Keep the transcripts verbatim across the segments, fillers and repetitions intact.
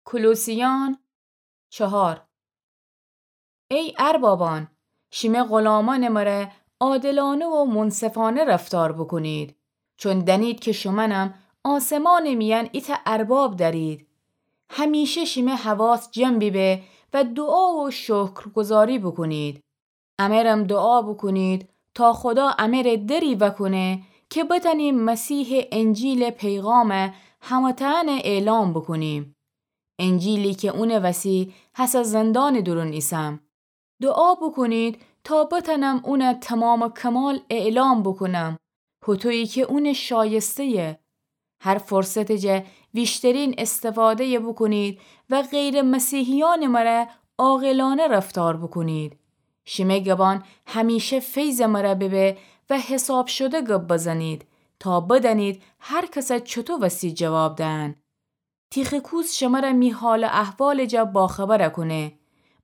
کولوسیان چهار. ای اربابان، شیمه غلامأنٚ مره عادلانه و منصفانه رفتار بوکونید، چون دأنید کی شومأنم آسمانٚ میأن ایتأ ارباب دأرید. همیشه شیمه حواس جمع بیبه و دوعا و شکرگزاری بوکونید. امرم دوعا بوکونید تا خودا امره دری وأکونه کی بتأنیم مسیحٚ انجیلٚ پیغام همه‌تأنه اعلام بوکونیم. انجیلی کی اونٚ وسی هسه زندانٚ دورون ایسم. دوعا بوکونید تا بتأنم اون تمام کمال اعلام بوکونم، هوطویی کی اون شایسته‌یه. هر فرصتٚ جا ویشترین استفاده‌یه بوکونید و غیر مسیحیأنٚ مره عاقلانه رفتار بوکونید. شیمه گبان همیشه فیضٚ مره بیبه و حساب شده گب بزنید تا بدأنید هر کس چوطو وسی جواب دهن. تیخیکوس شمره می حال و احوالٚ جا باخبر کونه.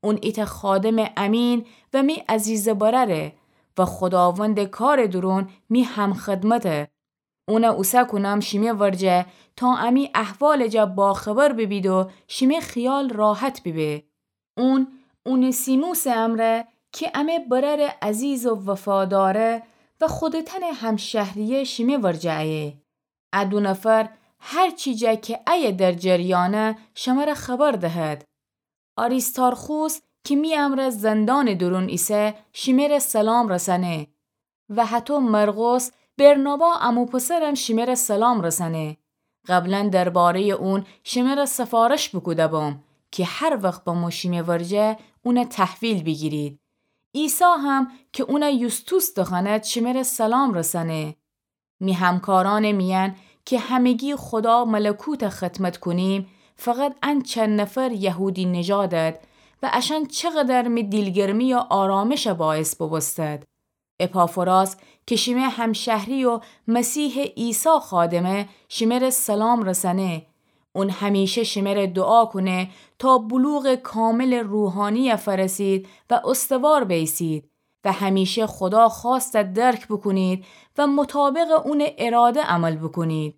اون ایتأ خادمٚ امین و می عزیزٚ برأره و خوداوندٚ کارٚ دورون می همخدمته. اون اوسه کونم شیمه ورجه تا امی احوالٚ جا باخبر بیبید و شیمه خیال راحت بیبه. اون اونیسیموسٚ امرأ کی امه برأرٚ عزیز و وفاداره و خودتأنٚ همشهریه شیمه ورجه ایه. ا دو نفر هر چی جا کی ایه در جریانه شمره خبر دهد. آریستارخوس کی می امرأ زندانٚ دورون ایسه شیمره سلام رسأنه. و هطو مرقس برنابا عمو پسرم شیمره سلام رسأنه. قبلا درباره‌یٚ اون شیمره سفارش بوکوده بوم کی هر وخت بمو شیمه ورجه اون تحویل بیگیرید. عیسی هم کی اون یوستوس دخوأند شیمره سلام رسأنه. می همکارأنٚ میأن کی همگی خودا ملکوت خدمت کونیم، فقط ان چند نفر یهودی‌نژادد و اشأن چقدر می دیلگرمی و آرامش باعث بوبوستد. اپافراس کی شیمه همشهری و مسیحٚ عیسی خادمه شیمره سلام رسأنه. اون همیشه شیمره دوعا کونه تا بلوغٚ کاملٚ روحانی فرسید و استوار بیسید و همیشه خودا خوأست درک بوکونید و مطابقٚ اونٚ اراده عمل بوکونید.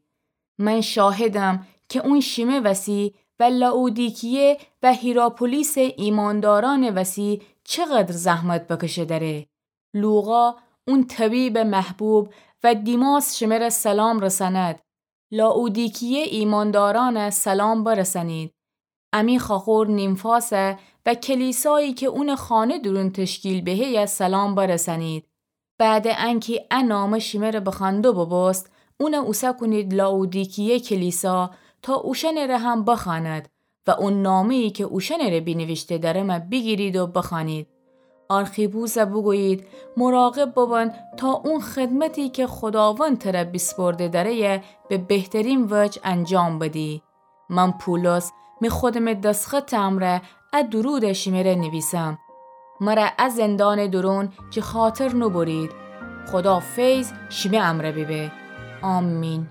من شاهدم کی اون شیمه وسی و لائودیکیه و هیراپولیسٚ ایماندارأنٚ وسی چقدر زحمت بکشه دره. لوقا اون طبیبٚ محبوب و دیماس شیمره سلام رسأند. لائودیکیه ایماندارأنه سلام برسأنید. امی خاخور نیمفاسه و کلیسایی کی اونٚ خانه دورون تشکیل بهه‌یه سلام برسأنید. بعدٚ انکی ا نامه شیمره بخوأندو بوبوست، اون اوسه کونید لائودیکیه کلیسا تا اوشأنٚ ره هم بخوأند و او نامه‌یی کی اوشأنٚ ره بینیویشته درمه بیگیرید و بخوأنید. آرخیپوسه بوگویید مراقب ببن تا او خدمتی کی خوداوند تره بیسپرده دره‌یه به بهترین وجه انجام بدی. من پولس می خودمٚ دسخطٚ امرأ ا دروده شیمره نیویسم. مره ا زندانٚ دورون جٚه خاطر نوبرید. خودا فیض شیمه امرأ بیبه. آمین.